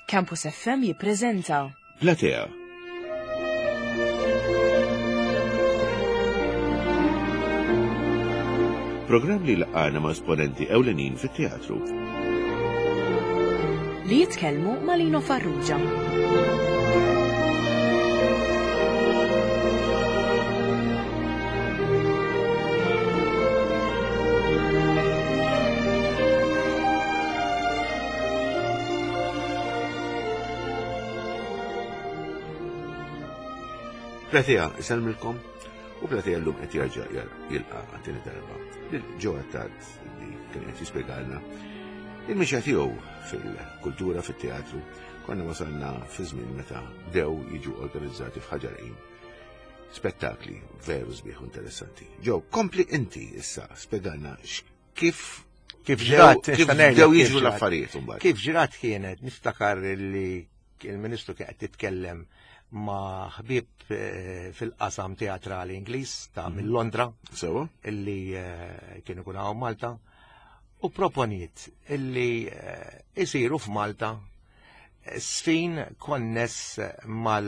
Campus FM jippreżenta Platea. Programm li laqgħana ma' esponenti ewlenin fit-teatru. Li jitkellmu ma' Lino Farrugia. Platea, isellmilkom u Platea llum qed jerġa' jilqa' għat-tieni darba lil Joe Attard li kien qed jispjegalna il-mixja tiegħu fil-kultura fit-teatru konna wasalna fi żmien meta bdew jiġu organizzati f'Ħaġar Qim spettakli veru sbieħ u interessanti. Joe, kompli inti issa spjegalna kif Kif ġrat, kif bdew jiġu l-affarijiet imbagħad. Kif ġrat kienet, niftakar li il-Ministru kien qed titkellem ma' ħbieb eh, fil-qasam teatrali Ingliż ta' mhm. minn Londra. Sewa. Illi eh, kienu kun hawn Malta u proponiet illi eh, isiru f'Malta sfin konness mal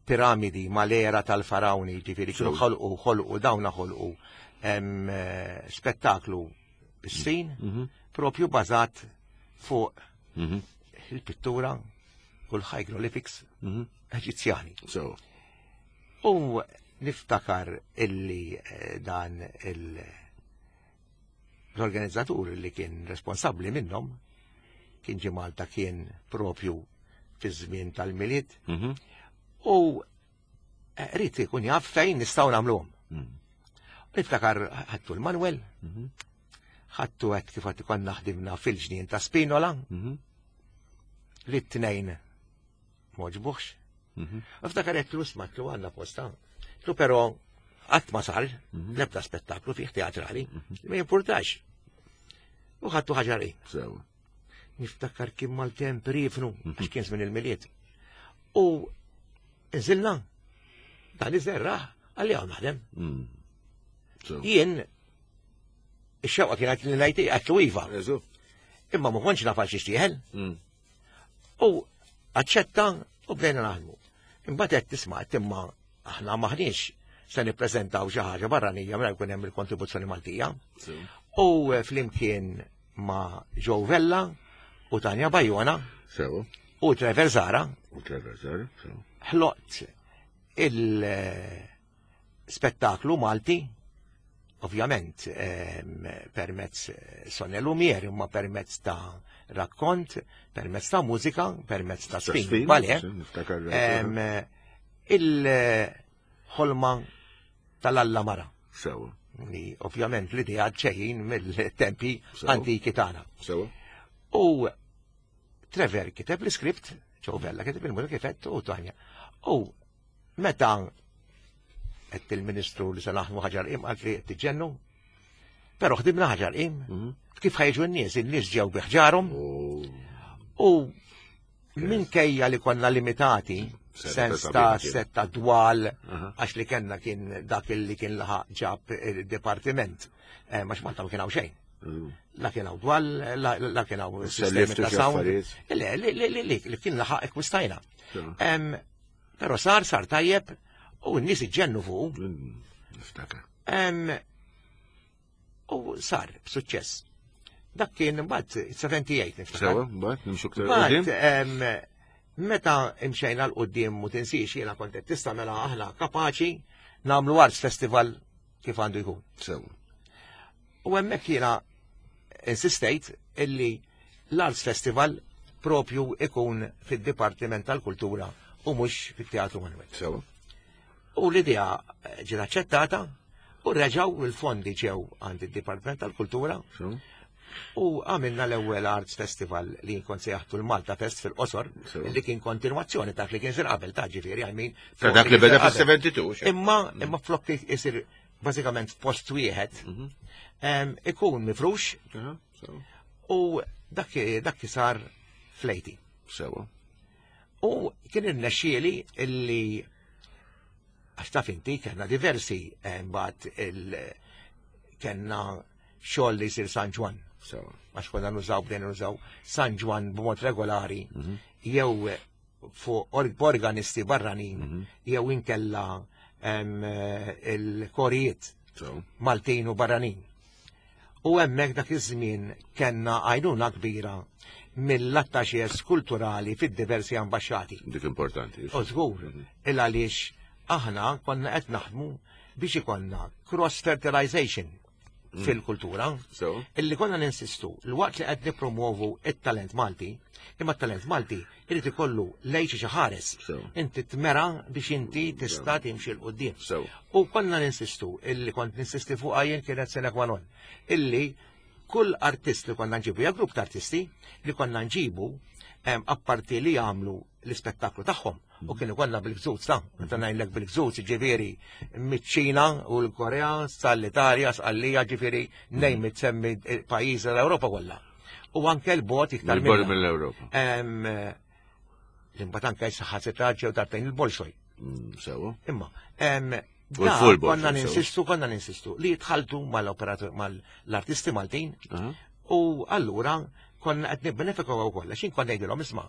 piramidi mal-era tal-farawni, ġifieri kienu ħolqu ħolqu dawna ħolqu eh, spettaklu bis-sin mhm. propju bażat fuq mhm. il-pittura u l-hieroglyphics mhm. Eġizzjani. U niftakar illi eh, dan il- l-organizzatur li kien responsabbli minnhom kien ġie Malta kien propju fi żmien tal-Milied mhm. u eh, rrid ikun jaf fejn nistgħu nagħmluhom. Mhm. Niftakar ħadtu l-Manuel, mhm. ħadtu għed kif għed konna ħdimna fil-ġnien ta' Spinola, li t-tnejn moġbuħx. Mhm. Niftakar qed tlu smatlu għandna posta. Tlu però qatt ma sar mhm. l-ebda spettaklu fih teatrali, mhm. ma jimpurtax. U ħadtu ħaġari. Niftakar kien mal-temp rifnu, għax kien żmien il-miliet. U nżilna, dan iżerraħ, għalli għaw naħdem. Mm. Jien, ix-xewqa kienet li ngħid għatlu iva. Imma ma kontx naf għal xi xtieħel. Mm. U aċċetta u bdejna naħdmu. Imbagħad qed tisma' qed imma aħna maħniex se nippreżentaw xi ħaġa barranija mela jkun hemm il-kontribuzzjoni Maltija. U eh, flimkien ma' Joe Vella u Tanja Bajona u Trevor Zara. U Trevor Zara, Ħloqt il- eh, spettaklu Malti, ovvjament ehm, permezz eh, Sonja Lumier, imma permezz ta' rakkont, permezz ta' mużika, permezz ta' spin, bale. Ehm, il-ħolma tal-Alla Mara. Sewa. Li ovvjament l-idea ġejjin mill-tempi antiki tagħna. Sewa. U Trevor kiteb l-iskript, Joe Vella kiteb il-mużika kifet u Tanja. U Meta qed il-Ministru li se naħdmu ħaġar qim qalt li qed tiġġennu. Però ħdimna ħaġar qim. Mhm. Kif ħajġu n-nies, in-nies ġew bi ħġarhom. Oh. U minkejja li konna limitati, sens ta' setta dwal, għax li kellna kien dak li kien laħaq ġab il-departiment, eh, għax Malta ma kien hawn xejn. Mm. La kien hawn dwal, la kien hawn sistemi ta' sound. Le, li kien laħaq ekwistajna. Però sar, sar tajjeb u n-nies iġġennu fuq. Mm, niftakar. U sar b'suċċess. Dak kien mbagħad 78 niftakar. Sewa, mbagħad nimxu ktar quddiem. Meta imxejna l qudiem u tinsiex jiena kont qed tista' mela aħna kapaċi nagħmlu Arts Festival kif għandu jkun. Sewa. U hemmhekk jiena insistejt illi l-Arts Festival propju ikun fid-Dipartiment tal-Kultura u mhux fit-Teatru Manuel. Sewa. U l-idea ġiet aċċettata u reġgħu il-fondi ġew għand id-Dipartiment tal-Kultura. U għamilna l-ewwel Arts Festival li kont sejjaħtu l-Malta Fest fil-qosor, li kien kontinwazzjoni ta' li kien sir qabel ta' ġifieri għal min. Ta' dak li beda fis-72. Imma imma flok isir bażikament f'post wieħed mhm. ikun mifrux u dak dak sar flejti. Sewa. U kien irnexxieli illi għax taf inti kellna diversi mbagħad il kellna xogħol li jsir San Ġwann. Għax konna nużaw bdejna nużaw San Ġwann b'mod regolari mhm. jew fuq organisti barranin mhm. jew inkella il-korijiet Maltin u barranin. U hemmhekk dak iż-żmien kellna għajnuna kbira mill-attaxes kulturali fid-diversi ambaxxati. Dik importanti. U żgur, mhm. il għaliex aħna konna qed naħdmu biex ikollna cross fertilization mm. fil-kultura. Illi konna ninsistu, l-waqt li qed nipromovu it-talent Malti, imma t-talent Malti irid ikollu lejn xi ħares. Inti tmera biex inti tista' timxi l qudiem U konna ninsistu, illi kont ninsisti fuq jien kienet sine qua non, illi kull artist li konna nġibu, ja grupp ta' artisti li konna nġibu, apparti li jagħmlu l-ispettaklu tagħhom, U kienu kollha bil-gżuz ta' meta ngħidlek bil-gżuz ġifieri miċ-Ċina u l-Korea sal-Italja, sqallija ġifieri name it semmi pajjiż l-Ewropa kollha. U anke l-bot iktar mill-Ewropa. L-imbagħad anke saħħa ġew darbtejn il-Bolxoj. Mm, sewa. Imma, konna ninsistu, konna ninsistu li jitħaltu mal-operatur mal-artisti Maltin u allura konna qed nibbenefikaw wkoll għax konna ngħidilhom isma'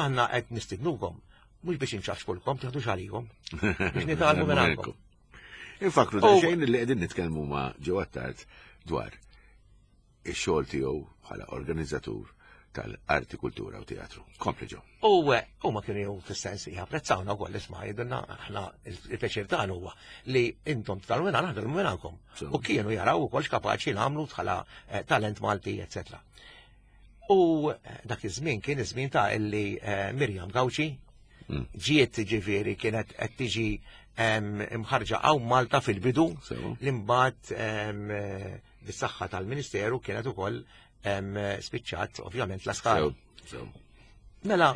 aħna qed nistidnukom mhux biex inċaxkulkom, tieħdux għalikom, biex nitgħallmu minn għandkom. Infakru da xejn li qegħdin nitkellmu ma' ġewwa tard dwar ix-xogħol tiegħu bħala organizzatur tal-arti, kultura u teatru. Kompli ġo. U eh, huma kienu jew fis-sens japprezzawna wkoll isma' jgħidulna aħna il-pjaċir tagħna huwa li intom tagħmlu minn aħna minn għandkom. U kienu jaraw ukoll x'kapaċi nagħmlu bħala eh, talent Malti, eċetera. U eh, dak iż-żmien kien iż-żmien ta' illi Mirjam Gawċi mm. ġiet ġifieri kienet qed tiġi imħarġa hawn Malta fil-bidu li mbagħad bis-saħħa tal-Ministeru kienet ukoll spiċċat ovvjament la skala. Mela,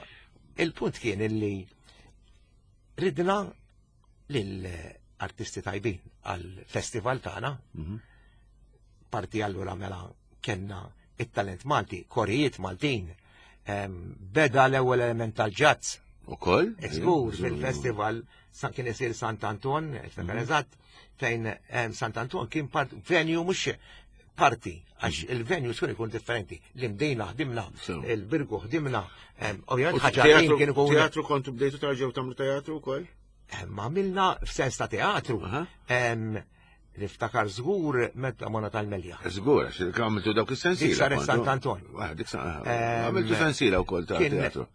il-punt kien illi ridna lil artisti tajbin għal-festival tagħna. Mhm. Parti allura mela kellna it-talent Malti, korijiet Maltin, beda l-ewwel element tal-ġazz. Ukoll? Żgur fil-festival kien isir Sant Anton, niftakar mhm. eżatt, fejn Sant Anton kien part venue mhux parti, għax mhm. il-venue xkun ikun differenti. L-imdejna ħdimna, il-birgu ħdimna, ovvjament ħaġa kien ikun. Teatru kontu bdejtu tarġew tagħmlu teatru wkoll? Ma għamilna f'sens ta' teatru. Niftakar żgur meta mona tal-Melja. Żgur, għax għamiltu dawk is-sensiela. Dik saret Sant Anton. Ah, dik Għamiltu sensiela wkoll ta' teatru.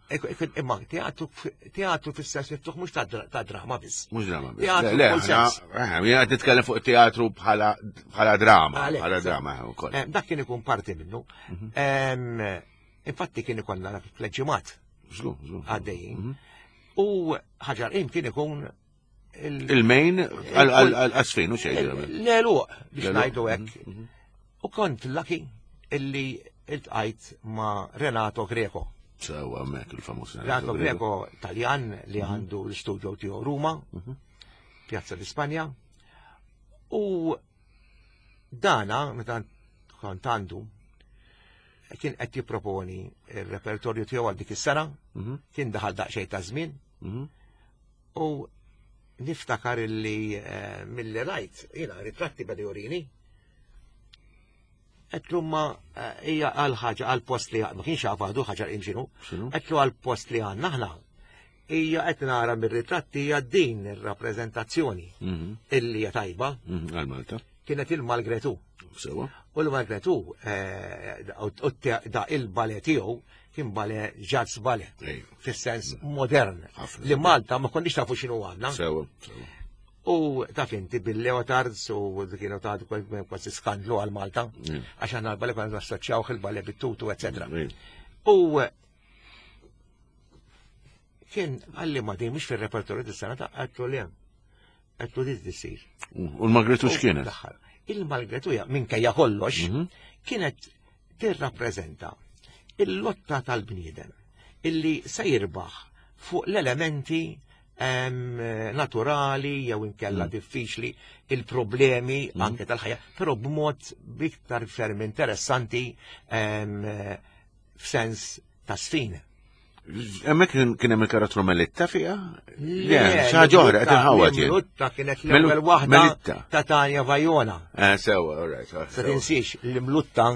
Imma teatru teatru fis-sens miftuħ mhux ta' drama biss. Mhux drama biss. Teatru le, jien qed nitkellem fuq teatru bħala drama, bħala drama wkoll. Dak kien ikun parti minnu. Mhm. Infatti kien ikollna fl-ġimgħat. Għaddejjin. Mhm. U ħaġar kien ikun Il-main għal-asfin u xejn. L-eluq biex ngħidu hekk. Mhm, mhm. U kont lucky illi iltqajt ma' Renato Greco. Sewa mek il-famuż Renato Greco Taljan li mhm. għandu l-studio tiegħu Ruma, Piazza di Spanja. U dana meta kont għandu kien qed jipproponi il-repertorju tiegħu għal dik is-sena, kien daħal daqsxejn ta' żmien. U niftakar illi eh, mill-li rajt, jina ritratti beda jurini, għetlu ma eh, hija għal ħaġa għal post li ma kienx għaf għadu ħaġa imxinu, għetlu għal post li għanna ħna, hija qed nara mir-ritratti hija din ir-rappreżentazzjoni mhm. illi hija tajba. Mhm, għal Malta. Kienet il-Malgretu. Sewa. U l-Malgretu eh, da il-bale tiegħu kien bale jazz bale. Fis-sens modern. Li Malta ma konniex tafu x'inhu għandna. Sewa, sewa. U taf inti bil-leotards u kienu ta' kważi skandlu għal Malta, mm. għax għandna l-bale konna nassoċjaw il-bale bit-tutu, eccetera. Mm. U kien għalli ma din mhux fil-repertorju dis-sena ta' għattu li hemm. Għattu li tisir. U l-Malgretu x'kienet? Il-Malgretu minkejja kollox mhm. kienet tirrappreżenta il-lotta tal-bniedem illi se jirbaħ fuq l-elementi naturali jew inkella mm. diffiċli il-problemi mm. anke tal-ħajja, però b'mod iktar ferm interessanti f'sens ta' sfin. Hemmhekk kien hemm il-karattru Melitta fiha? Le, xi ħaġa oħra qed inħawwad jien. Melitta kienet l-ewwel waħda ta' Tanja Vajona. Eh, sewa, all right. Ah, Se tinsiex li Mlutta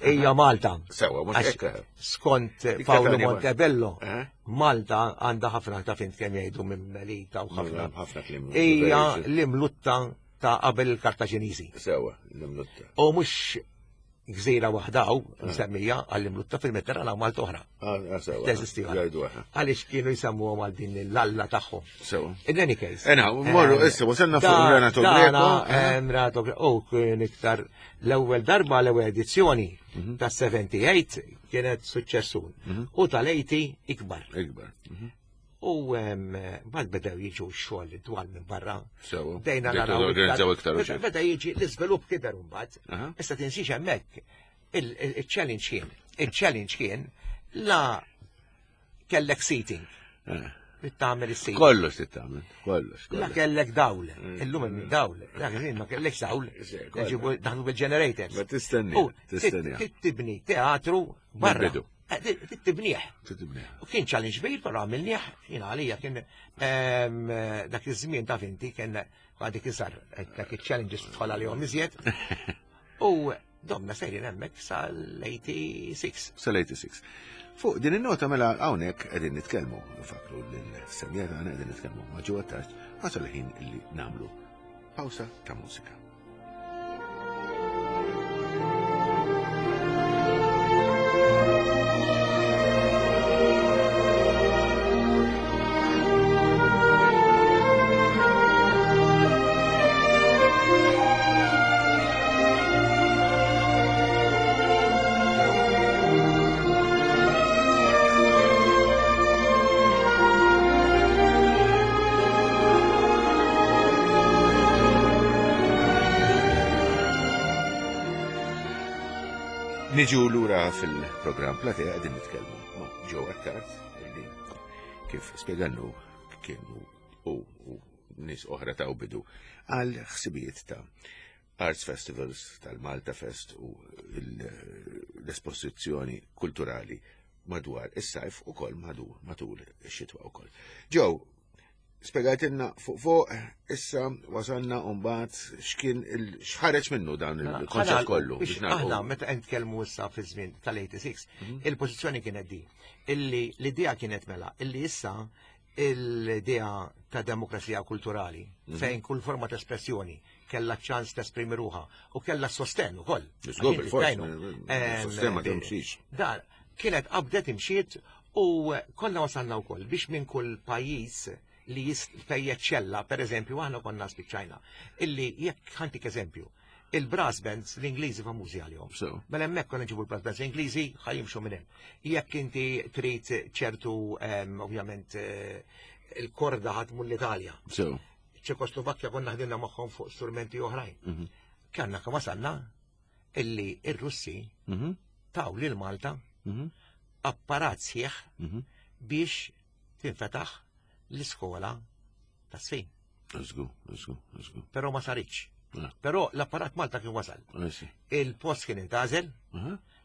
hija Malta. Sewa, mhux hekk. Skont Paolo Montebello, eh? Malta għandha ħafna ta' fint kemm jgħidu minn Melita u ħafna. Ħafna kliem. Hija l-Imlutta ta' qabel il-Kartaġiniżi. Sewa, l-Imlutta. U mhux gżira waħda hawn ah. msemmija għall-imlutta fil-Mediterran hawn Malta oħra. Ah, ah, Teżisti Għaliex kienu jsemmuhom għal din l-alla tagħhom. Sewa. In any case. Ena, morru eh, issa wasalna fuq Renato Greco. Eh, Renato Greco, u kien iktar l-ewwel darba l-ewwel edizzjoni mhm. ta' 78 kienet suċċessun. Mhm. U tal-80 ikbar. Ikbar. Mhm. U mbagħad bedew jiġu x-xogħol dwar minn barra. Sewa. Dejna naraw. Iktar Beda jiġi l-iżvilupp kiber mbagħad. Issa tinsiex hemmhekk il-challenge kien. Il-challenge kien la kellek seating. Eh. Tagħmel is-seating. Kollox tagħmel, kollox. La kellek dawl, mm. illum hemm dawl, dak iż ma kellekx dawl, ġibu daħlu bil-generators. Ma tistenni, tistenni. Tibni teatru barra. Eh, tibnieh. Tibnieh. U kien challenge kbir, però għamilnieh, jina għalija kien ehm, dak iż-żmien ta' finti kien għadik iżgħar eh, dak il-challenges tħol għalihom iżjed. U domna sejrin hemmhekk sal-86. Sal-86. Fuq din in-nota mela hawnhekk qegħdin nitkellmu, nfakru lill-semija tagħna qegħdin nitkellmu ma' ġewwa tard wasal il-ħin illi nagħmlu pawsa ta' mużika. Niġu lura fil-programm Platea qegħdin nitkellmu ma' Joe Attard illi kif spjegannu kienu u nies oħra ta' bidu għal ħsibijiet ta' Arts Festivals tal-Malta Fest u l-esposizzjoni kulturali madwar is-sajf u kol matul ix-xitwa u kol. Joe, Spjegajtilna fuq fuq, issa wasalna mbagħad x'kien x'ħareġ minnu dan mela, il-konċett kollu. Aħna meta qed nitkellmu issa fi żmien tal-86, mhm. il-pożizzjoni kienet di. Illi l-idea kienet mela, illi issa l-idea ta' demokrazija kulturali, mhm. fejn kull forma ta' espressjoni kella ċans tesprimi ruħa u kella sosten ukoll. Sosten ma timxix. Dar, kienet qabdet imxiet U konna wasalna wkoll biex minn kull pajjiż li fejn jeċċella, per eżempju, aħna konna spiċċajna, illi jekk ħantik eżempju, il-brass bands l-Ingliżi famużi għalihom. Mela hemmhekk konna nġibu l-brass bands Ingliżi ħa jimxu minn hemm. Jekk inti trid ċertu ovvjament eh, il-korda ħatmu l-Italja. Ċekoslovakkja konna ħdimna magħhom fuq strumenti oħrajn. Mhm. Kanna kemm wasalna illi ir-Russi mhm. taw lil Malta mhm. apparat sħiħ mhm. biex tinfetaħ l-iskola ta' sfin. Żgur, żgur, żgur. Però ma saritx. Ah. Però l-apparat Malta kien wasal. Il-post kien intażel,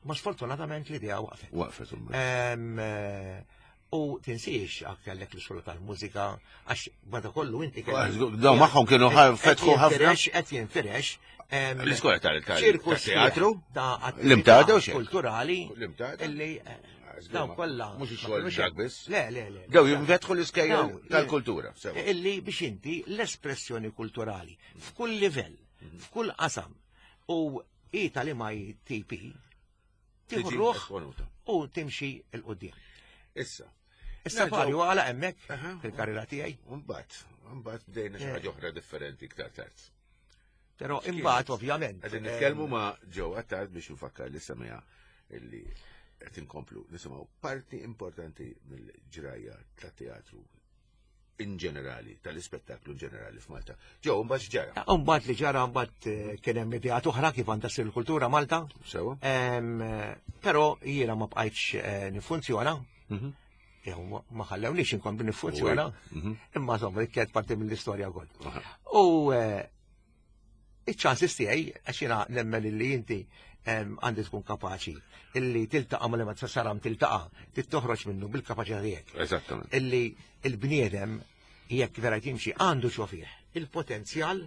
ma sfortunatament l-idea waqfet. Waqfet. Eh, U tinsiex għak kellek l-iskola tal-mużika, għax bada kollu inti kellek. Daw magħhom kienu fetħu ħafna. Qed jinfirex. L-iskola tal-teatru? L-imtada u xejn. Kulturali. L-imtada. Illi eh, daw kollha. Mhux ix-xogħol dak biss. Le, le, le. Daw jinfetħu l-iskejjel tal-kultura. Illi biex inti l-espressjoni kulturali f'kull livell, mhm. f'kull qasam u i tal-MITP Tieħu ruħ u timxi 'l quddiem. Issa. Issa Farju għala hemmhekk fil-karriera tiegħi. Mbagħad, mbagħad bdejna xi ħaġa oħra differenti iktar tard. Però imbagħad ovvjament. Qegħdin nitkellmu ma' Joe Attard biex nfakkar li semija illi qed inkomplu nisimgħu parti importanti mill-ġrajja tat-teatru in ġenerali, tal-ispettaklu in ġenerali f'Malta. Ġew, mbagħad ġara. Ah, mbagħad li ġara mbagħad eh, kien hemm ideat oħra kif għandha ssir il-kultura Malta. Sewa. Eh, però jiena ma bqajtx eh, nifunzjona. Mhm. Jew ma ħallewniex inkompli nifunzjona. Mhm. Imma insomma dik kienet parti mill-istorja wkoll. U iċ-ċansis tiegħi għax jiena nemmen li inti Għandi tkun kapaċi illi tiltaqa' ma li ma saram tiltaqa' tittoħroġ minnu bil-kapaċità tiegħek. Eżattament. Illi il-bniedem jekk vera jimxi għandu xofih il-potenzjal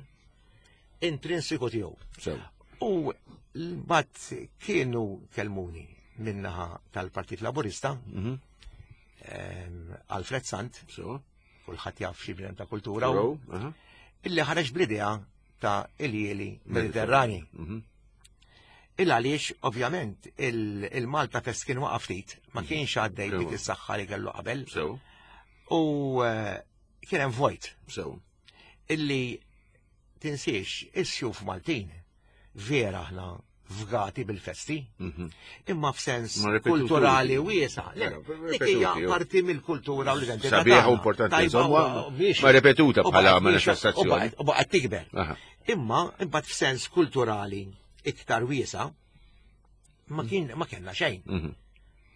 intrinsiku tiegħu. U l-bat kienu kelmuni minnaħa tal-Partit Laburista, mhm. Alfred Sant, kulħadd jaf xi bnedem ta' kultura, illi ħareġ bl-idea ta' iljieli Mediterrani. Mhm. Il għaliex, ovvjament, il-Malta Fest kien waqaf ftit, ma mhm. kienx għaddej dik is-saħħa li kellu qabel. U eh, kien hemm vojt. Illi tinsiex, is-sjuf Maltin vera aħna fgati bil-festi, mhm. imma f'sens kulturali wiesa. Dik hija parti mill-kultura u l-identità. Sabiħ u importanti, insomma, ma repetuta bħala manifestazzjoni. U baqgħet tikber. Imma imbagħad f'sens kulturali iktar wiesa, ma kien ma kellna xejn. Mhm.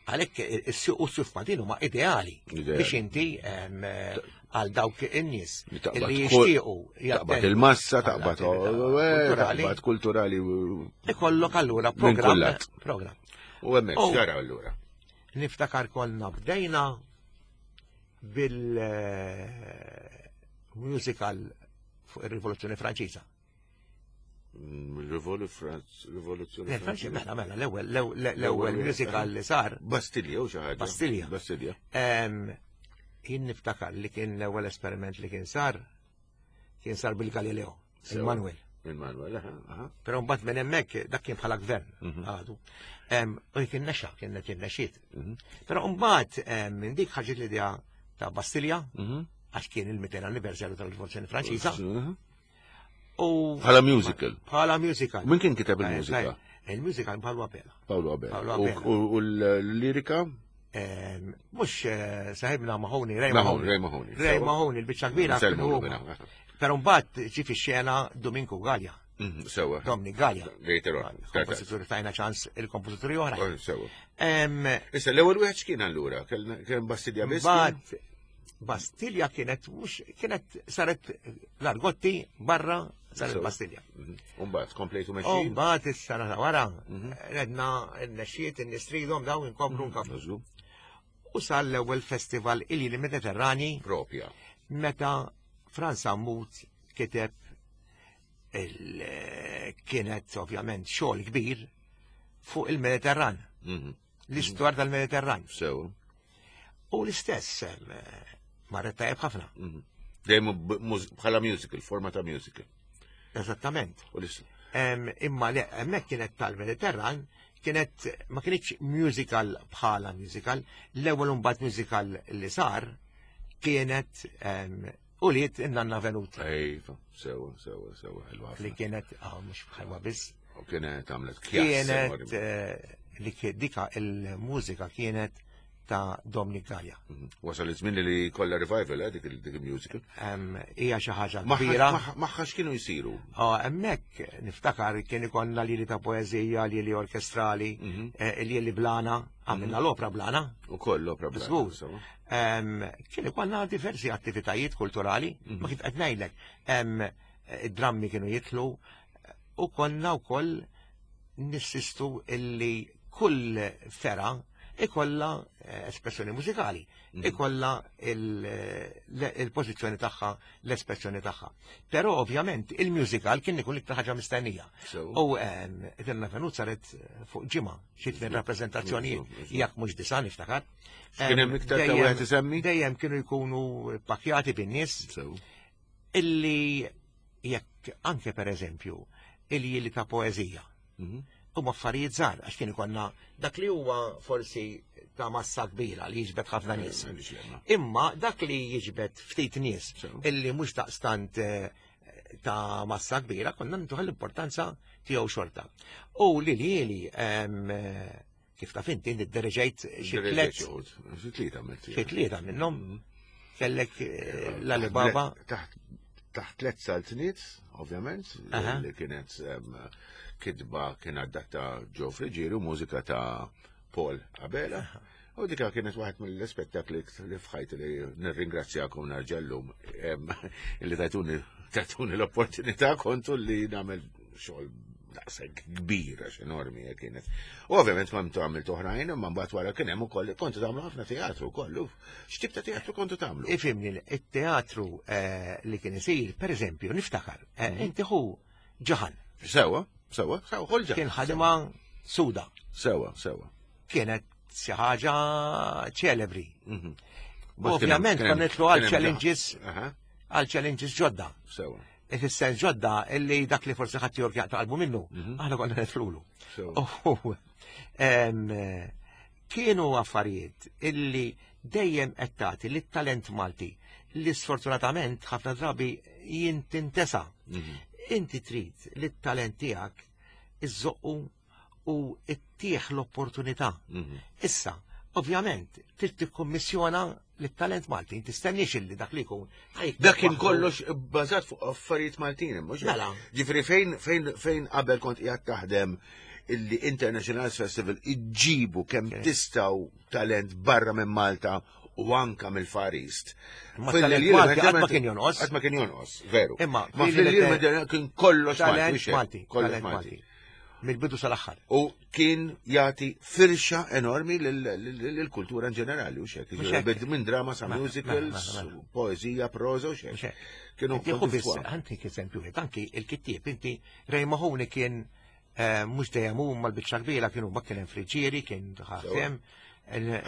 Għalhekk is-suq u s-suf Maltin huma ideali biex inti għal dawk in-nies li jixtiequ. Taqbad il-massa, taqbad taqbad kulturali. Ikollok allura programm. Program. U hemmhekk xara allura. Niftakar konna bdejna bil-musical eh, fuq ir-Rivoluzzjoni Franċiża. Rivoluzzjoni Franċiża. Mela, mela, l-ewwel l-ewwel musical li sar. Bastilja u xi ħaġa. Bastilja. Bastilja. Jien niftakar li kien l-ewwel esperiment li kien sar kien sar bil-Galileo, il-Manuel. Il-Manuel, aha. Però mbagħad minn hemmhekk dak kien bħala gvern mhm. għadu. U kien nexa, kien kien nexxiet. Mhm. Però mbagħad minn dik ħarġet l-idea ta' Bastilja, mhm. għax kien il-200 anniversarju tal-Rivoluzzjoni Franċiża. U bħala musical. Bħala musical. Min kien kiteb eh, il-mużika? Eh, il-musical Paolo Abela. Paolo Abela. U l-lirika? Ehm, mux eh, saħibna Mahoney, Ray Mahoney. Ray Mahoney. Ray Mahoney, il-bicċa kbira. Pero mbagħad ġi fix-xena Dominku Gallia. Mhm, sewa. Dominic Gallia. Later on. Kompożituri tajna ċans il-kompożituri oħra. Oh, sewa. Ehm, Issa l-ewwel wieħed x'kien allura? Kien Bastilja biss? Bastilja kienet mhux kienet saret l-argotti barra saret Bastilja. Mhm. Umbagħad komplejtu mexjin. Umbagħad is-sena ta' wara mhm. redna n-nexxiet in-nistridhom dawn inkomplu mhm. nkamplu. U sar l-ewwel festival il Mediterrani. Propja. Meta Franz Ammut kiteb kienet ovvjament xogħol kbir fuq il-Mediterran. L-istorja tal-Mediterran. Sew. U l-istess marret tajjeb ħafna. Mhm. Dejjem bħala musical, forma ta' musical. Eżattament. Imma le, hemmhekk kienet tal-Mediterran, kienet ma kienx musical bħala musical, l-ewwel imbagħad musical li sar kienet u li nanna venuta. Ejfa, sewa, sewa, sewa, ħelwa. Li kienet, ah, mhux ħelwa biss. U kienet għamlet Kienet eh, li dika il-mużika kienet ta' Dominic Gaia. Mhm. Wasal iż-żmien li kollha revival eh, dik il-musical. Hija xi ħaġa kbira. Magħha x'kienu jsiru? Ah, hemmhekk niftakar kien ikollna lili ta' poeżija, lili orkestrali, mhm. eh, lili blana, għamilna mhm. l-opra blana. Ukoll l-opra blana. Kien ikollna diversi attivitajiet kulturali, ma kif qed ngħidlek, id-drammi kienu jitlu u konna wkoll nissistu illi kull fera ikolla eh, espressjoni mużikali, mhm. ikolla il-pożizzjoni tagħha, l-espressjoni tagħha. Però ovvjament il-musical kien ikun iktar ħaġa mistennija. U ehm, Eterna Venut saret fuq ġimgħa xi tmien rappreżentazzjonijiet, jekk mhux disa' niftakar. Kien hemm iktar ta' wieħed isemmi? Dejjem kienu jkunu pakjati bin-nies. Illi jekk anke per eżempju il-jili ta' poeżija. Mhm. Huma affarijiet żgħar għax kien ikollna dak li huwa forsi ta' massa kbira li jiġbed ħafna nies. Eh, Imma dak li jiġbed ftit nies illi mhux daqstant eh, ta' massa kbira konna ntuħ l-importanza tiegħu xorta. U li li eh, Kif taf inti, niddereġejt xi tliet. Xi tlieta Xi tlieta minnhom. Mm. Kellek eh, l-Alibaba. Taħt tliet saltniet, ovvjament, li kienet kitba kien adatta Joe Friggieri u mużika ta' Paul Abela. U dika kienet waħed mill-spettakli li fħajt li nirringrazzjakom narġellum li tajtuni tajtuni l-opportunità kontu li nagħmel xogħol. daqshekk kbir għax enormi hekk kienet. U ovvjament ma mtu għamilt oħrajn, imma mbagħad wara kien hemm ukoll kontu tagħmlu ħafna teatru wkoll. X'tip ta' teatru kontu tagħmlu? Ifimni, it-teatru eh, li kien isir, per eżempju, niftakar, eh, mhm. inti hu ġaħan. Sewa, sewa, sewa, ħolġa. Kien ħadima suda. Sewa, sewa. Kienet xi ħaġa ċelebri. Mhm. Ovvjament konna nitlu għal challenges għal challenges ġodda. Sewa. Ifisser ġodda illi dak li forsi ħadd jork jaqta' qalbu minnu, mhm. aħna konna nitlulu. Kienu affarijiet illi dejjem qed tagħti lit-talent Malti li sfortunatament ħafna drabi jintintesa. Mhm. Inti trid li t-talent tiegħek iżoqqu u ttieħ l-opportunità. Mhm. Issa, ovvjament, trid tikkummissjona lit-talent Malti, tistenniex illi dak li jkun. Dak kien kollox bbażat fuq affarijiet Maltin, mhux Mela. Ġifieri fejn fejn fejn qabel kont qiegħed taħdem illi International Arts Festival iġġibu kemm tistgħu talent barra minn Malta u anka mill-Far East. Ma talent Malti qatt ma kien jonqos. Qatt ma kien jonqos, veru. Imma ma fil-lil kien kollox Malti, kollox Malti. Mill-bidu sal-aħħar. U kien jagħti firxa enormi lill-kultura in ġenerali u xek. Minn drama sa mela, musicals, mela, mela, poezija, proza u xek. Kienu biss, għantik eżempju, anki il-kittieb, inti Ray Mahoney kien eh, mhux dejjem hu mal-biċċa kbira kienu ma kien hemm Friġġieri, kien ħatem.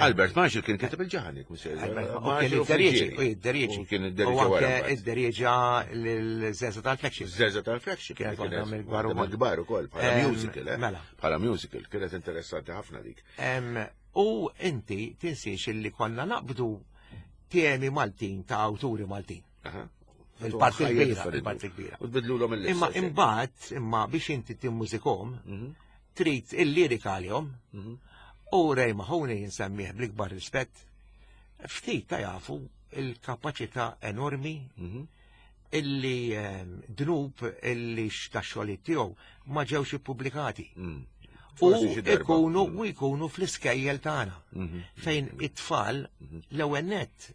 Albert Marshall kien kiteb il-ġaħan, jek Kien id-derieġi, u id-derieġi. Kien id-derieġi. U anke id-derieġa l-Zeza tal-Flagship. Zeza tal-Flagship. Kienet waħda mill-kbar ukoll. Mill-kbar ukoll, bħala musical, eh? Mela. Bħala musical, kienet interessanti ħafna dik. U inti tinsiex illi konna naqbdu temi Maltin ta' awturi Maltin. Il-parti kbira, il-parti kbira. U tbidlulhom il Imma imbagħad, imma biex inti timmużikhom, mhm. trid il-lirika għalihom, mhm. u Ray Mahoney jinsemmih bl-ikbar rispett, ftit ta' jafu il-kapaċità enormi mhm. illi ehm, dnub illi ta' xogħlijiet tiegħu ma ġewx ippubblikati. Mm. U ikunu u jkunu fl-iskejjel tagħna fejn it-tfal l-ewwel nett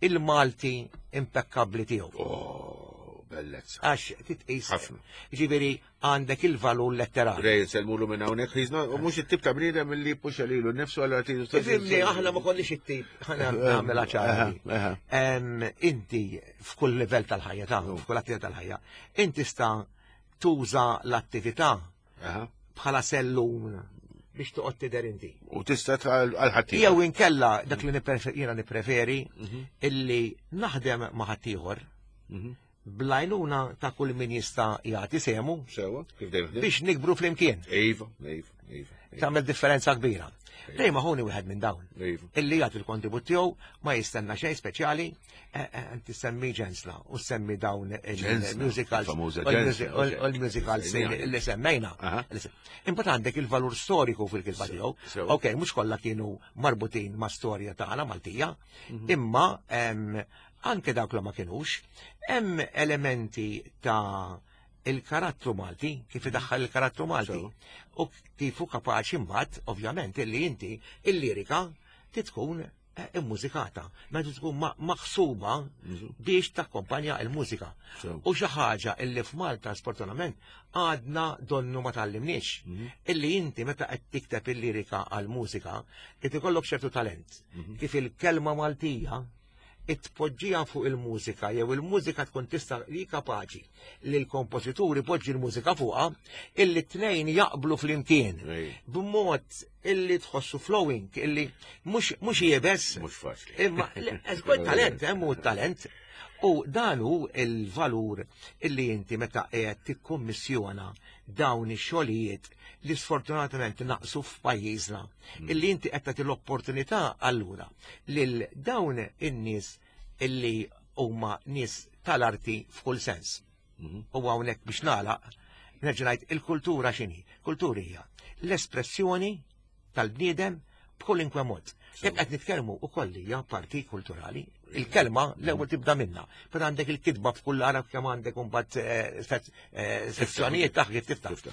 il-Malti impekkabbli tiegħu. Oh, bellezza. Għax titqis. Ħafna. Ġifieri għandek il-valur letterali. Rej nsellmulu minn hawnhekk, he's not mhux it-tip ta' bniedem li jippuxa lilu nnifsu għal artilu. Fimni, aħna ma konniex it-tip, ħana nagħmilha ċara. Inti f'kull livell tal-ħajja ta' f'kull attività tal-ħajja, inti sta tuża l-attività bħala sellum biex toqgħod tidher inti. U tista' għal ħadd Jew inkella dak li jiena nippreferi mhm. illi naħdem ma' ħaddieħor mhm. blajnuna ta' kull min jista' jagħti semu. Sewa, kif dejjem Biex nikbru flimkien. Iva, iva, iva. Tagħmel differenza kbira. Dejjem ħuni wieħed minn dawn. Iva. Illi jagħti l-kontribut tiegħu ma jistenna xejn speċjali, eh, eh, inti semmi ġensla u semmi dawn il-musicals u l-musicals li semmejna. Imbagħad għandek il-valur storiku fil-kilba tiegħu. Ok, mhux kollha kienu marbutin ma' storja tagħna Maltija, mhm. imma anke dawk li ma kienux, hemm elementi ta' il-karattru Malti, kif idaħħal il-karattru Malti. U kif hu kapaċi mbagħad, ovvjament, illi inti il-lirika titkun eh, immużikata, meta tkun maħsuba biex takkompanja il-mużika. U xi ħaġa illi f'Malta sfortunatament għadna donnu ma tallimniex. Mhm. Illi inti meta qed tikteb il-lirika għal-mużika, qed ikollok ċertu talent. Mhm. Kif il-kelma Maltija it-tpoġġija fuq il-mużika jew il-mużika tkun tista' li kapaċi li l-kompożitur ipoġġi l-mużika fuqha illi t-tnejn jaqblu flimkien b'mod illi tħossu flowing illi mhux jebes. Mhux faċli. Imma żgur talent, hemm hu talent. U dan hu il-valur illi inti meta qiegħed tikkummissjona dawn ix-xogħlijiet li sfortunatament naqsu f'pajjiżna, mm. illi inti qed tagħti l-opportunità allura lil dawn in-nies illi huma nies tal-arti f'kull sens. Mm-hmm. U hawnhekk biex nagħlaq, nerġa' ngħid il-kultura x'inhi? Kultura hija l-espressjoni tal-bniedem b'kolinkwe mod. Jekk qed nitkellmu wkoll hija parti kulturali, il-kelma l-ewwel tibda minna. Però għandek il-kitba f'kull arab kemm għandek imbagħad eh, eh, sezzjonijiet taħ kif tiftaħ.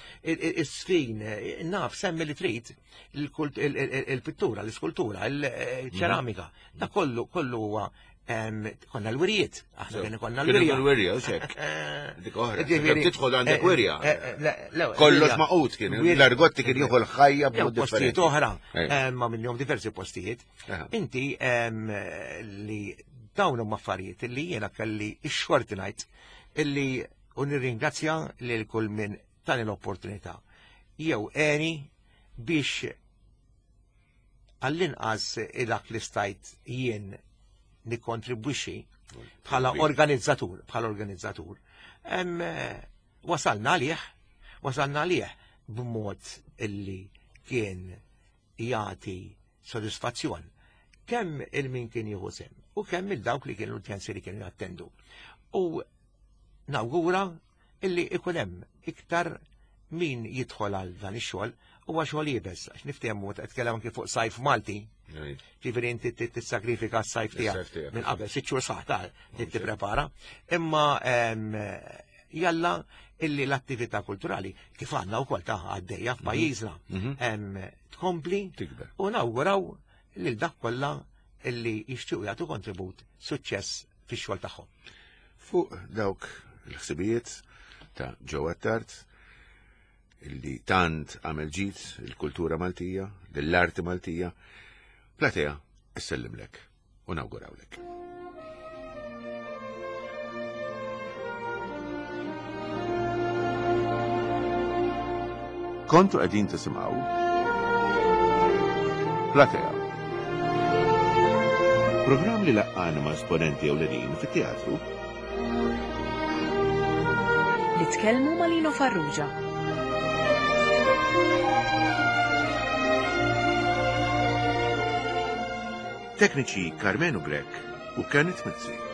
Is-sfin, eh, naf semmi li trid il-pittura, l-iskultura, il-ċeramika. Da kollu kollu huwa Konna l-wirjiet, aħna kien konna l-wirja. L-wirja, xek. Dik oħra. Tidħol għandek eh, wirja. Eh, eh, Kollox maqut kien, l-argotti kien jieħu l-ħajja b'mod Postijiet oħra, ma minnhom diversi postijiet. Inti li dawn huma affarijiet li jiena kelli x-xorti ngħid illi u nirringrazzja lil kull min tani l-opportunità. Jew għeni biex għall-inqas dak li stajt jien nikkontribwixxi bħala organizzatur, bħala organizzatur. Wasalna għalih, wasalna għalih b'mod illi kien jagħti sodisfazzjon kemm il-min kien jieħu sem u kemm il-dawk li kienu l-udjenzi li kienu jattendu. U nawgura illi ikun hemm iktar min jidħol għal dan ix-xogħol huwa xogħol iebes għax niftehmu qed tkellem anke fuq sajf Malti. Ġifieri inti tissagrifika s-sajf tiegħek minn qabel sitt xhur saħ ta' tipprepara. Imma jalla illi l-attività kulturali kif għandna wkoll ta' għaddejja f'pajjiżna mhm. mhm. tkompli u nawguraw lil dak kollha illi jixtiequ jagħtu kontribut suċċess fix-xogħol tagħhom. Fuq dawk il-ħsibijiet ta' Joe Attard illi tant għamel ġid il-kultura Maltija, lill-arti Maltija, Platea issellimlek u nawgurawlek. Kontu qegħdin tisimgħu Platea. Programm li laqqana ma' esponenti ewlenin fit-teatru. Li tkellmu ma' Lino Farrugia. Tekniċi Karmenu Grech u Kenneth Mizzi.